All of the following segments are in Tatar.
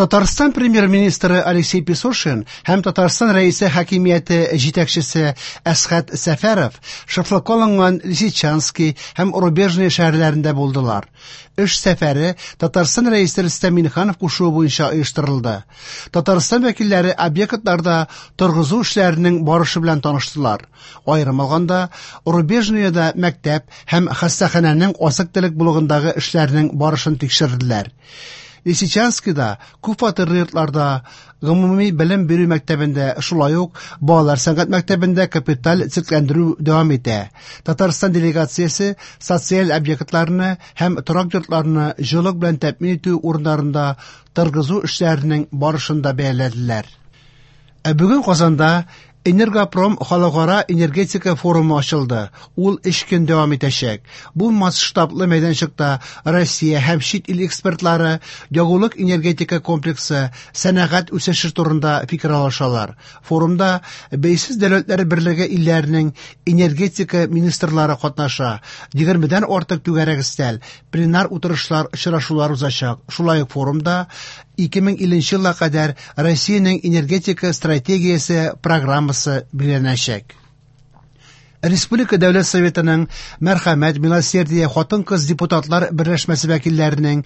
Татарстан премьер-министры Алексей Песошин һәм Татарстан Рәисе хакимияте җитәкчесе Әсхәт Сәфәров шефлыкка алынган Лисичанский һәм Рубежное шәһәрләрендә булдылар. Эш сәфәре Татарстан Рәисе Рөстәм Миңнеханов кушуы буенча оештырылды. Татарстан вәкилләре объектларда торгызу эшләренең барышы белән таныштылар. Аерым алганда, Рубежноеда мәктәп һәм хастаханәнең азык-төлек блогындагы эшләрнең барышын тикшерделәр. Лисичанскида күпфатирлы йортларда, гомуми белем бирү мәктәбендә, шулай ук балалар сәнгать мәктәбендә капиталь төзекләндерү дәвам итә. Татарстан делегациясе социаль объектларны һәм торак йортларны җылылык белән тәэмин итү урыннарында торгызу эшләренең барышын да бәяләделәр. Ә бүген Казанда Энергопром халыкара энергетика форумы ачылды. Ул 3 көн дәвам итәчәк. Бу масштаблы мәйданчыкта Россия һәм чит ил экспертлары ягулык энергетика комплексы, сәнәгать үсеше турында фикер алышалар. Форумда Бәйсез Дәүләтләр Берлеге илләренең энергетика министрлары катнаша. 20дән артык түгәрәк өстәл, пленар утырышлар, очрашулар узачак. Шулай ук форумда 2050 елга кадәр Россиянең энергетика стратегиясе программасы билгеләнәчәк. Республика Дәүләт Советының Мәрхәмәт, Милосердие хатын-кыз депутатлар берләшмәсе вәкилләренең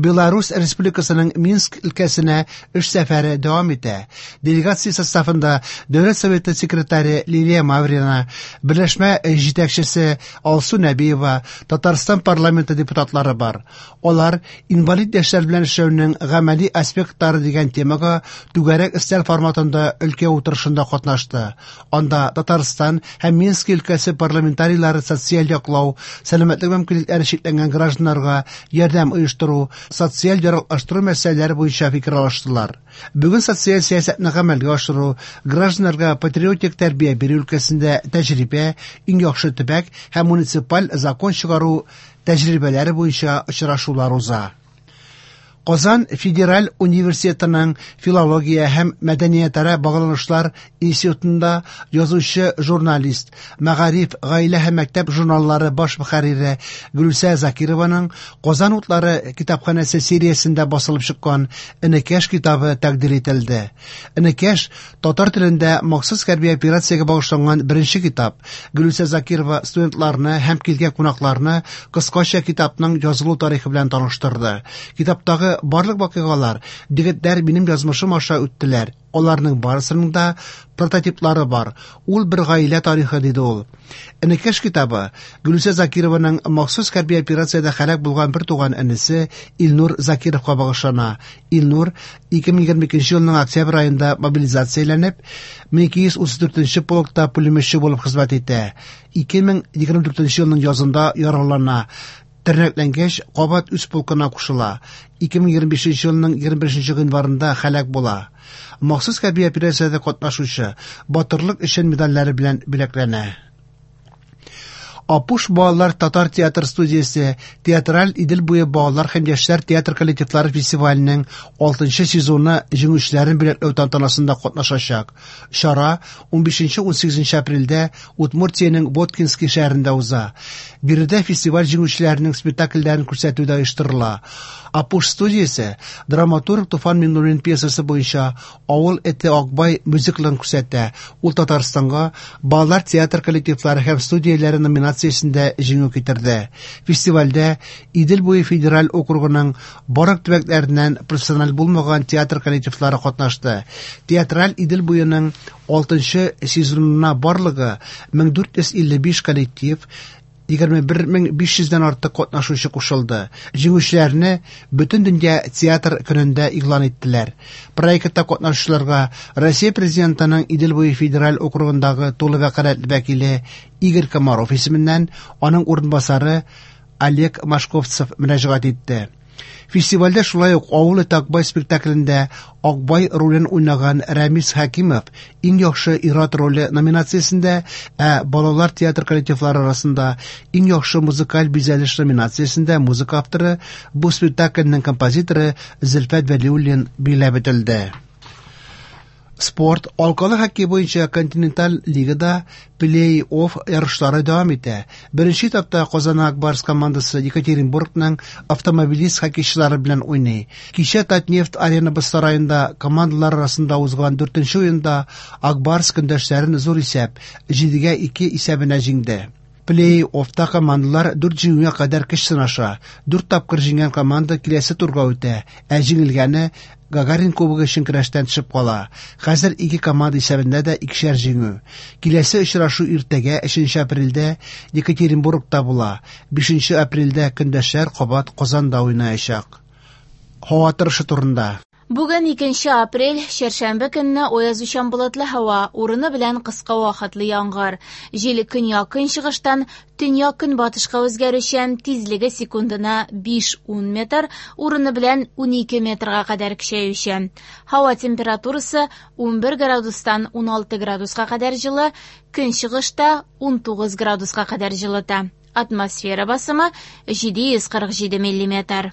Беларусь Республикасының Минск өлкәсенә эш сәфәре дәвам итә. Делегация составында Дәүләт Советы секретаре Лилия Маврина, берләшмә җитәкчесе Алсу Нәбиева, Татарстан парламенты депутатлары бар. Алар инвалид яшьләр белән эшләүнең гамәли аспектлары дигән темага түгәрәк өстәл форматында өлкә утырышында катнашты. Анда Татарстан һәм Минск өлкәсе парламентарийлары социаль яклау, сәламәтлек мөмкинлекләре чикләнгән гражданнарга ярдәм оештыру, социаль яраклаштыру мәсьәләләре буенча фикер алыштылар. Бүген социаль сәясәтне гамәлгә ашыру, гражданнарга патриотик тәрбия бирү өлкәсендә тәҗрибә, иң яхшы төбәк һәм муниципаль закон чыгару тәҗрибәләре буенча очрашулар уза. Казан федераль университетының филология һәм мәдәниятара багланышлар институтында язучы журналист, Мәгариф, гаилә һәм мәктәп журналлары баш мөхәррире Гөлүсә Закированың Казан утлары китапханәсе сериясендә басылып чыккан Энекәш китабы тәкъдир ителде. Энекәш татар телендә махсус хәрби операциягә багышланган беренче китап. Гөлүсә Закирова студентларны һәм килгән кунакларны кыскача китапның язылу тарихы белән таныштырды. Китаптагы барлык вакыйгалар егетләр минем язмышым аша үттеләр. Аларның барысының да прототиплары бар. Ул бер гаилә тарихы, диде ул. Энекәш китабы Гөлүсә Закированың махсус хәрби операциядә һәлак булган бер туган энесе Илнур Закировка багышлана. Илнур 2022 елның октябрь аенда мобилизацияләнеп, 1234 полкта пулеметчы булып хезмәт итә. 2024 елның язында яралана. Тернәкләнгәч, кабат үз полкына кушыла. 2025 елның 21 гыйнварында һәлак була. Махсус хәрби операциядә катнашучы батырлык өчен медальләре белән бүләкләнә. Апуш балалар татар театр студиясе театраль Идел буе балалар һәм яшьләр театр коллективлары фестиваленең 6 сезоны җиңүчеләрен бүләкләү тантанасында катнашачак. Чара 15-18 апрельдә Удмуртиянең Воткинский шәһәрендә уза. Биредә фестиваль җиңүчеләренең спектакльләрен күрсәтү дә оештырыла. Апуш студиясе драматург Туфан Миңнуллин пьесасы буенча Авыл эте Акбай мюзиклын күрсәтә. Ул Татарстанга балалар театр коллективлары һәм студияләре номинациясендә җиңү китерде. Фестивальдә Идел буе федераль округының барлык төбәкләреннән профессиональ булмаган театр коллективлары катнашты. Театраль Идел буеның 6 сезонына барлыгы 1455 коллектив, 21500дән артык катнашучы кушылды. Җиңүчеләрне Бөтендөнья театр көнендә игълан иттеләр. Проектта катнашучыларга Россия президентының Идел буе федераль округындагы тулы вәкаләтле вәкиле Игорь Комаров исеменнән аның урынбасары Олег Машковцев мөрәҗәгать итте. Фестивальдә шулай ук Авыл эте Акбай спектаклендә Акбай ролен уйнаган Рәмис Хәкимов иң яхшы ир-ат роле номинациясендә, ә балалар театр коллективлары арасында иң яхшы музыкаль бизәлеш номинациясендә музыка авторы, бу спектакльнең композиторы Зөлфәт Вәлиуллин билгеләп үтелде. Спорт, алкалы хоккей буенча Континенталь лигада плей-офф ярышлары дәвам итә. Беренче этапта Казан Ак Барс командасы Екатеринбургның Автомобилист хоккейчылары белән уйный. Кичә Татнефть Арена боз сараенда командалар арасында узган дүртенче уенда Ак Барс көндәшләрен зур исәп 7-2 исәбенә җиңде. Плей-оффта командалар дүрт җиңүгә кадәр көч сынаша. Дүрт тапкыр җиңгән команда киләсе турга үтә, ә җиңелгәне Гагарин кубогы өчен көрәштән төшеп кала. Хәзер ике команда исәбендә дә икешәр җиңү. Киләсе очрашу иртәгә, 3 апрельдә Екатеринбургта була. 5 апрельдә көндәшләр кабат Казанда уйнаячак. Һава торышы турында. Бүген 2 апрель, чәршәмбе көнне аязучан болытлы һава, урыны белән кыска вакытлы яңгыр. Җил көньяк-көнчыгыштан төньяк-көнбатышка үзгәрүчән, тизлеге секундына 5-10 метр, урыны белән 12 метрга кадәр көчәючән. Һава температурасы 11 градустан 16 градуска кадәр җылы, көнчыгышта 19 градуска кадәр җылыта. Атмосфера басымы 747 миллиметр.